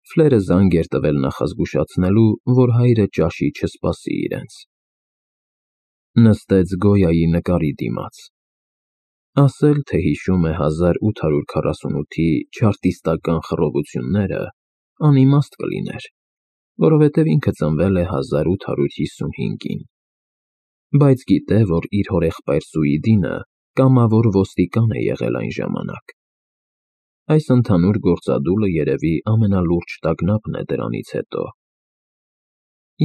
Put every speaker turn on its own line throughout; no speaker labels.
Ֆլերը զանգ էր տվել նախազգուշացնելու, որ հայրը ճաշի չսպասի իրենց։ Նստեց Գոյայի նկարի դիմաց։ Ասել, թե հիշում է 1848-ի չարտիստական խռովությունները, անիմաստ կլիներ, որովհետև ինքը ծնվել է 1855-ին, բայց գիտե, որ իր հորեղբայր Սուիդինը կամավոր ոստիկան է եղել այն ժամանակ։ Այս ընդհանուր գործադուլը երևի ամենալուրջ տագնապն է դրանից հետո։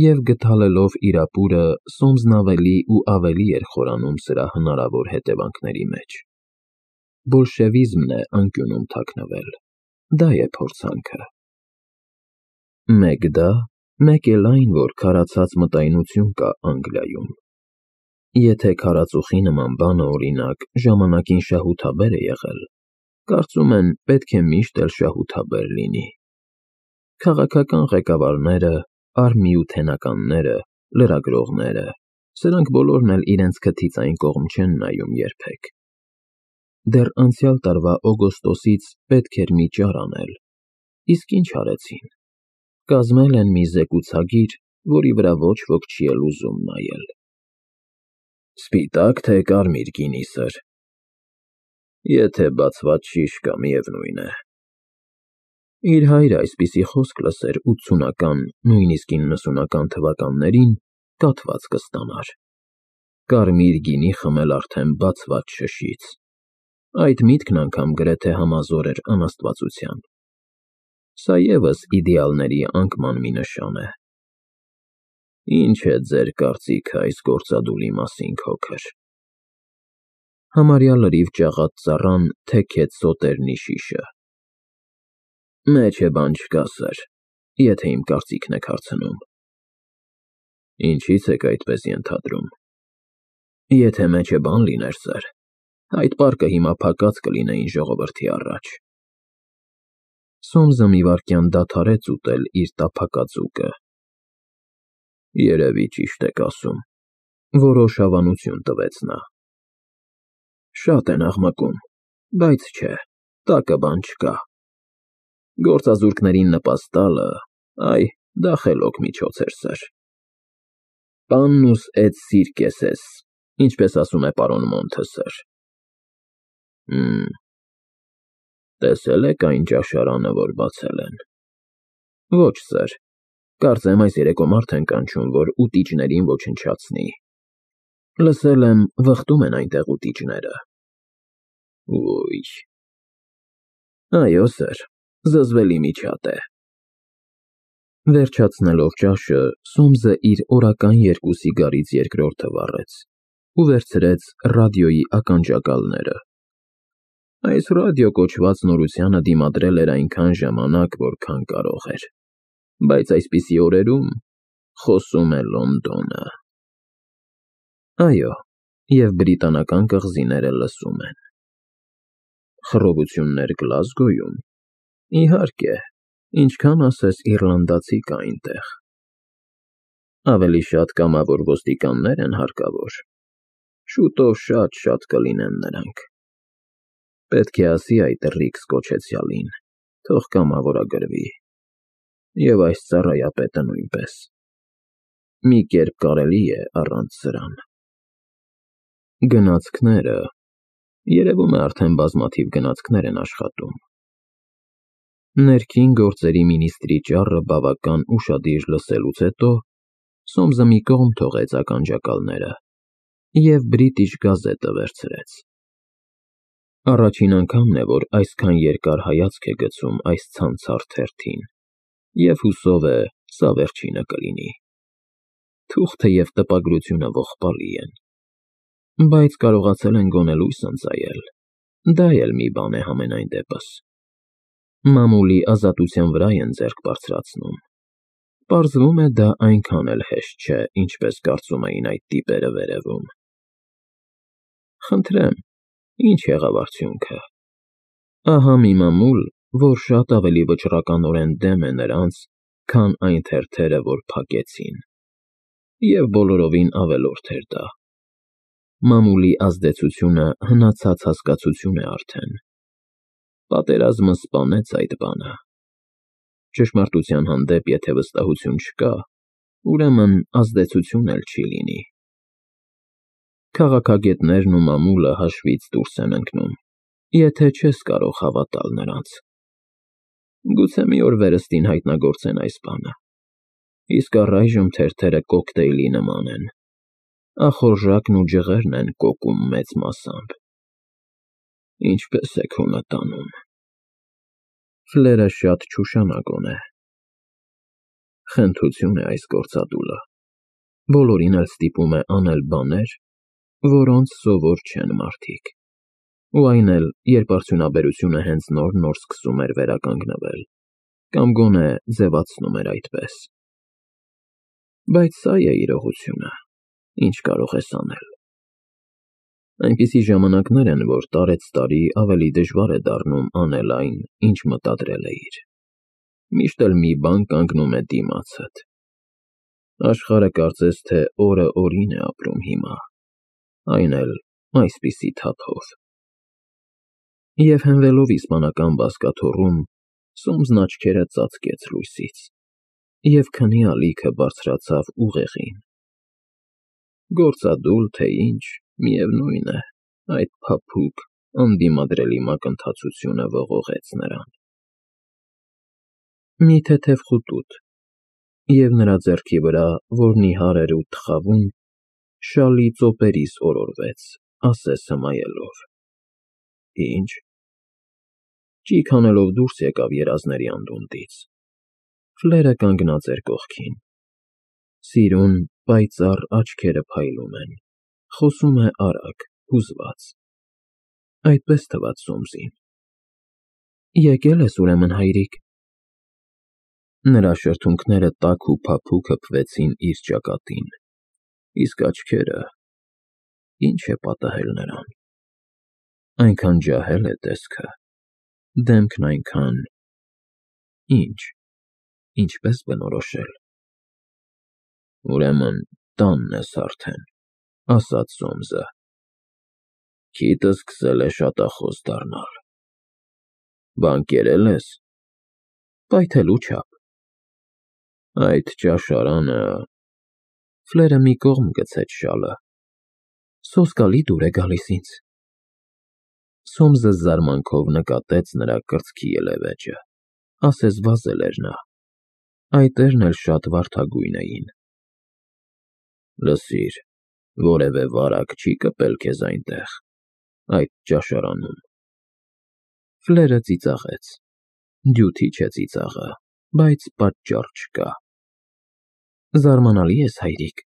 Եվ գթալելով իր ապուրը, Սոմսն ավելի ու ավելի էր խորանում սրա հնարավոր հետևանքների մեջ։ Բոլշևիզմն է անկյունում թաքնվել, դա է փորձանքը։ Մեկ դա, մեկ էլ այն, որ քարացած մտայնություն կա Անգլիայում։ Եթե քարածուխի նման բանը, օրինակ, ժամանակին շահութաբեր է եղել, կարծում են, պետք է միշտ էլ շահութաբեր լինի։ Քաղաքական ղեկավարները, արհմիութենականները, լրագրողները, սրանք բոլորն էլ իրենց քթից այն կողմ չեն նայում երբեք։ Դեռ անցյալ տարվա օգոստոսից պետք էր մի ճար անել, իսկ ինչ արեցին։ Կազմել են մի զեկուցագիր, որի վրա ոչ ոք չի էլ ուզում նայել։ Սպիտա՞կ, թե կարմիր գինի, սըր։ Եթե բացված շիշ կա, միևնույն է։ Իր հայրը այսպիսի խոսք լսեր 80-ական, նույնիսկ 90-ական թվականներին, կաթված կստանար։ Կարմիր գինի խմել արդեն բացված շշից։ Այդ միտքն անգամ գրեթե համազոր էր անաստվածության։ Սա ևս իդեալների անկման մի նշան է։ Ինչ է ձեր կարծիքը այս գործադուլի մասին, քոքր։ Համարյա լրիվ ճաղած ծառան թեքեց սոտերնի շիշը։ Մեջ է բան չկա, սըր, եթե իմ կարծիքն եք հարցնում։ Ինչից եք այդպես ենթադրում։ Եթե մեջ է բան լիներ, սըր, այդ պարկը հիմա փակած կլինեին ժողովրդի առաջ։ Սոմսը մի վայրկյան դադարեց ուտել իր տափակածուկը։ Երևի ճիշտ եք ասում, որոշ հավանություն տվեց նա։ Շատ են աղմկում, բայց չէ, տակը բան չկա։ Գործազուրկներին նպաստալը, այ, դա խելոք միջոց էր, սըր։ Պաննուս էտ սիրկեսես, ինչպես ասում է պարոն Մոնթը, սըր։ Տեսել եք այն ճաշարանը, որ բացել են։ Ոչ, սըր, կարծեմ այս երեկո մարդ են կանչում, որ ուտիչներին ոչնչացնի։ Լսել եմ, վխտում են այնտեղ ուտիչները։ Ույ։ Այո, սըր, զզվելի միջատ է։ Վերջացնելով ճաշը, Սոմսը իր օրական 2 սիգարից երկրորդը վառեց ու վերցրեց ռադիոյի ականջակալները։ Այս ռադիո կոչված նորությանը դիմադրել էր այնքան ժամանակ, որքան կարող էր, բայց այսպիսի օրերում խոսում է Լոնդոնը։ Այո, և բրիտանական կղզիները լսում են։ Խռովություններ Գլազգոյում։ Իհարկե, ինչքան ասես իռլանդացի կա այնտեղ։ Ավելի շատ կամավոր ոստիկաններ են հարկավոր։ Շուտով շատ կլինեն նրանք։ Պետք է ասի այդ Ռիքս կոչեցյալին, թող կամավորագրվի։ Եվ այս ծառայապետը նույնպես։ Մի կերպ կարելի է առանց սրան։ Գնացքները… Երևում է արդեն բազմաթիվ գնացքներ են աշխատում։ Ներքին գործերի մինիստրի ճառը բավական ուշադիր լսելուց հետո Սոմսը մի կողմ թողեց ականջակալները և British Gazette-ը վերցրեց։ Առաջին անգամն է, որ այսքան երկար հայացք է գցում այս ցանցառ թերթին, և հուսով է, սա վերջինը կլինի։ Թուղթը և տպագրությունը ողբալի են, բայց կարողացել են գոնե լույս ընծայել, դա էլ մի բան է համենայն դեպս։ Մամուլի ազատության վրա են ձեռք բարձրացնում։ Պարզվում է, դա այնքան էլ հեշտ չէ, ինչպես կարծում էին այդ տիպերը վերևում։ Խնդրեմ, ինչ եղավ արդյունքը։ Ահա մի մամուլ, որ շատ ավելի վճռականորեն դեմ է նրանց, քան այն թերթերը, որ փակեցին։ Եվ բոլորովին ավելորդ էր դա։ Մամուլի ազդեցությունը հնացած հասկացություն է արդեն։ Պատերազմը սպանեց այդ բանը։ Ճշմարտության հանդեպ եթե վստահություն չկա, ուրեմն ազդեցություն էլ չի լինի։ Քաղաքագետներն ու մամուլը հաշվից դուրս են ընկնում, եթե չես կարող հավատալ նրանց։ Գուցե մի օր վերստին հայտնագործեն այս բանը, իսկ առայժմ թերթերը կոկտեյլի նման են, ախորժակն ու ջղերն են կոկում մեծ մասամբ։ Ինչպես է քո նտանում։ Ֆլերը շատ չուշանագոն է։ Խնդություն է այս գործադուլը։ Բոլորին էլ ստիպում է անել բաներ, որոնց սովոր չեն մարդիկ։ Ու այն էլ, երբ արդյունաբերությունը հենց նոր սկսում էր վերականգնվել, կամ գոնե ձևացնում էր այդպես։ Բայց սա է իրողությունը, ինչ կարող ես անել։ Այնպիսի ժամանակներ են, որ տարեցտարի ավելի դժվար է դառնում անել այն, ինչ մտադրել էիր։ Միշտ էլ մի բան կանգնում է դիմացդ։ Աշխարհը կարծես թե օրը օրին է ապրում հիմա, այն էլ այսպիսի թափով։ Եվ հենվելով իսպանական բազկաթոռում, Սոմսն աչքերը ծածկեց լույսից, և քնի ալիքը բարձրացավ ուղեղին։ Գործադուլ, թե ինչ, միևնույն է, այդ փափուկ, անդիմադրելի մակընթացությունը ողողեց նրան։ Մի թեթև խուտուտ, և նրա ձեռքի վրա, որ նիհար էր ու թխավում, շալի ծոպերիս օրորվեց, ասես հմայելով։ Ինչ։ Ճիգ անելով դուրս եկավ երազների անդունդից։ Ֆլերը կանգնած էր կողքին։ Սիրուն, պայծառ աչքերը փայլում են, խոսում է արագ, հուզված։ Այդպես թվաց Սոմսին։ Եկել ես ուրեմն, հայրիկ։ Նրա շրթունքները տաք ու փափուկ հպվեցին իր ճակատին, իսկ աչքերը… Ինչ է պատահել նրան։ Այնքան ջահել է տեսքը, դեմքն այնքան… Ինչ, ինչպես բնորոշել։ Ուրեմն տանն ես արդեն, ասաց Սոմսը։ Քիթը սկսել է շատախոս դառնալ։ Բան կերել ես։ Պայթելու չափ։ Այդ ճաշարանը… Ֆլերը մի կողմ գցեց շալը։ Սոսկալի դուր է գալիս ինձ։ Սոմսը զարմանքով նկատեց նրա կրծքի ելևէջը, ասես վազել էր նա։ Այտերն էլ շատ վարդագույն էին։ Լսիր, որևէ վարակ չի կպել քեզ այնտեղ, այդ ճաշարանում։ Ֆլերը ծիծաղեց։ Դյութիչ է ծիծաղը, բայց պատճառ չկա։ Զարմանալի ես, հայրիկ,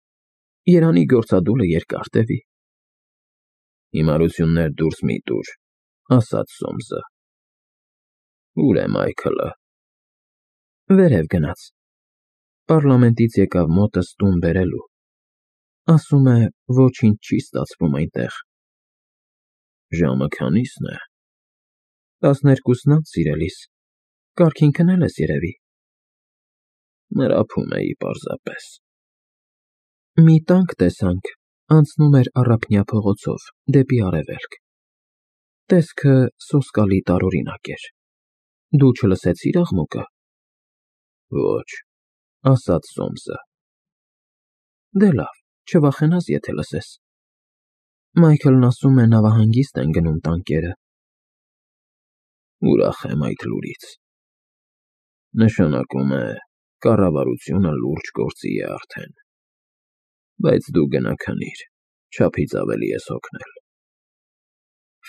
երանի գործադուլը երկար տևի։ Հիմարություններ դուրս մի տուր, ասաց Սոմսը։ Ուր է Մայքլը։ Վերև գնաց։ Պառլամենտից եկավ մոտս տուն բերելու։ Ասում է, ոչինչ չի ստացվում այնտեղ։ Ժամը քանի՞սն է։ 12-ն անց, սիրելիս, կարգին քնել ես երևի։ Մրափում էի պարզապես։ Մի տանկ տեսանք, անցնում էր Առափնյա փողոցով, դեպի արևելք։ Տեսքը սոսկալի տարօրինակ էր։ Դու չլսեցի՞ր աղմուկը։ Ոչ, ասաց Սոմսը։ Դե լավ, չվախենաս, եթե լսես։ Մայքլն ասում է նավահանգիստ են գնում տանկերը։ Ուրախ եմ այդ լուրից։ Նշանակում է, կառավարությունը լուրջ գործի է արդեն։ Բայց դու գնա քնիր, չափից ավելի ես հոգնել։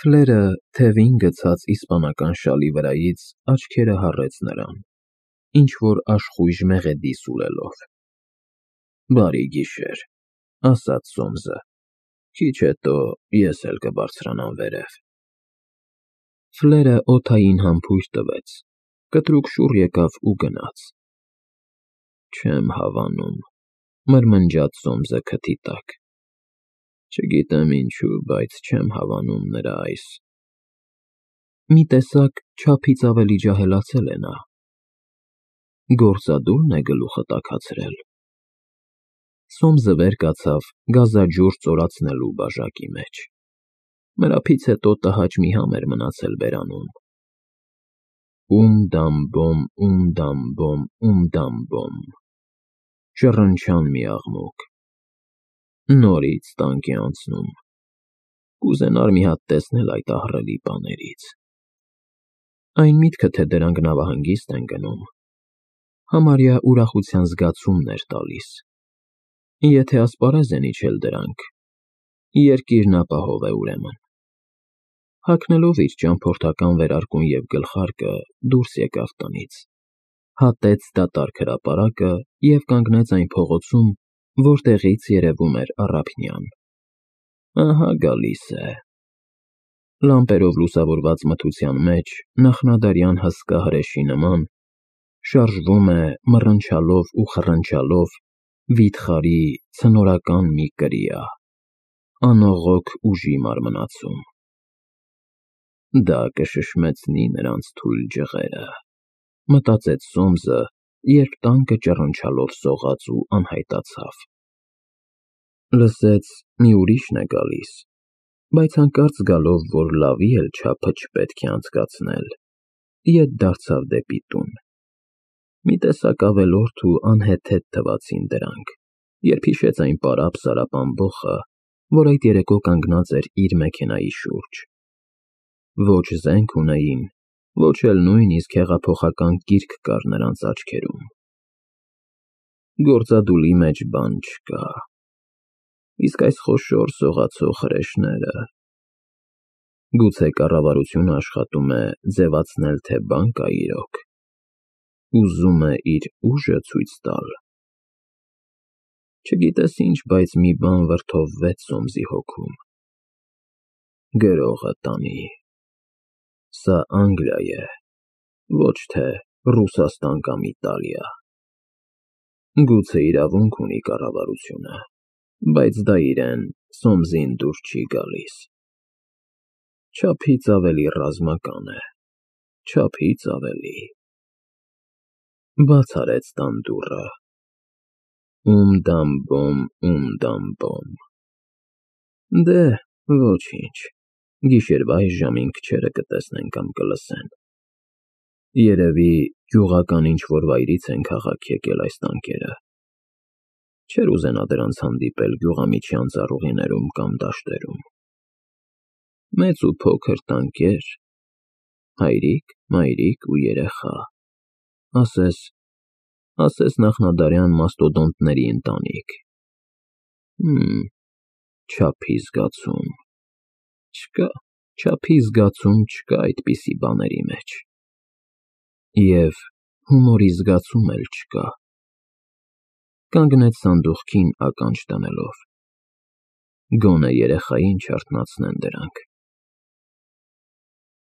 Ֆլերը թևին գցած իսպանական շալի վրայից աչքերը հառեց նրան, ինչ-որ աշխույժ մեղեդի սուլելով։ Բարի գիշեր, ասաց Սոմսը, քիչ հետո ես էլ կբարձրանամ վերև։ Ֆլերը օդային համբույր տվեց, կտրուկ շուռ եկավ ու գնաց։ Չեմ հավանում, մրմնջաց Սոմսը քթի տակ։ Չգիտեմ ինչու, բայց չեմ հավանում նրա այս… Մի տեսակ չափից ավելի ջահելացել է նա։ Գործադուլն է գլուխը տաքացրել։ Սոմսը վեր կացավ գազաջուր ծորացնելու բաժակի մեջ։ Մրափից հետո տհաճ մի համ էր մնացել բերանում։ Դամբոմ, դամբոմ, շռնչան մի աղմուկ, նորից տանկ է անցնում, կուզենար մի հատ տեսնել այդ ահռելի բաներից, այն միտքը, թե դրանք նավահանգիստ են գնում, համարյա ուրախության զգացումն էր տալիս, եթե ասպարեզ են իջել դրանք, երկիրն ապահով է ուրեմն, հագնելով իր ճամփորդական վերարկուն և գլխարկը դուրս եկավ տնից, հատեց դատարկ հրապարակը և կանգնեց այն փողոցում, որտեղից երևում էր Առափնյան, ահա գալիս է, լամպերով լուսավորված մթության մեջ նախնադարյան հսկա հրեշի նման, շարժվում է մռնչալով ու խռնչալով վիթխարի ցնորական մի կրիա, անողոք ուժի մարմնացում, դա կշշմեցնի նրանց թույլ ջղերը, մտածեց Սոմսը, երբ տանկը ճռնչալով սողաց ու անհայտացավ, լսեց մի ուրիշն է գալիս, բայց հանկարծ զգալով, որ լավի էլ չափը չպետք է անցկացնել, ետ դարձավ դեպի տուն, մի տեսակ ավելորդ ու անհեթեթ թվացին դրանք, երբ հիշեց այն պարապ-սարապ ամբոխը, որ այդ երեկո կանգնած էր իր մեքենայի շուրջ, ոչ զենք ունեին, ոչ էլ նույնիսկ հեղափոխական կիրք կար նրանց աչքերում, գործադուլի մեջ բան չկա, իսկ այս խոշոր սողացող հրեշները, գուցե կառավարությունը աշխատում է ձևացնել, թե բան կա իրոք, ուզում է իր ուժը ցույց տալ, չգիտես ինչ, բայց մի բան վրդովվեց Սոմսի հոգում, գրողը տանի, սա Անգլիա է, ոչ թե Ռուսաստան կամ Իտալիա, գուցե իրավունք ունի կառավարությունը, բայց դա իրեն Սոմսին դուր չի գալիս, չափից ավելի ռազմական է, չափից ավելի, բաց արեց տան դուռը, դամբոմ, դե, ոչինչ, գիշերվա այս ժամին քչերը կտեսնեն կամ կլսեն, երևի գյուղական ինչ-որ վայրից են քաղաք եկել այս տանկերը, չէր ուզենա դրանց հանդիպել գյուղամիջյան ծառուղիներում կամ դաշտերում, մեծ ու փոքր տանկեր, հայրիկ, մայրիկ ու երեխա, ասես նախնադարյան մաստոդոնտների ընտանիք, չափի զգացում, չկա այդպիսի բաների մեջ, և հումորի զգացում էլ չկա, կանգնեց սանդուղքին ականջ դնելով, գոնե երեխային չարթնացնեն դրանք,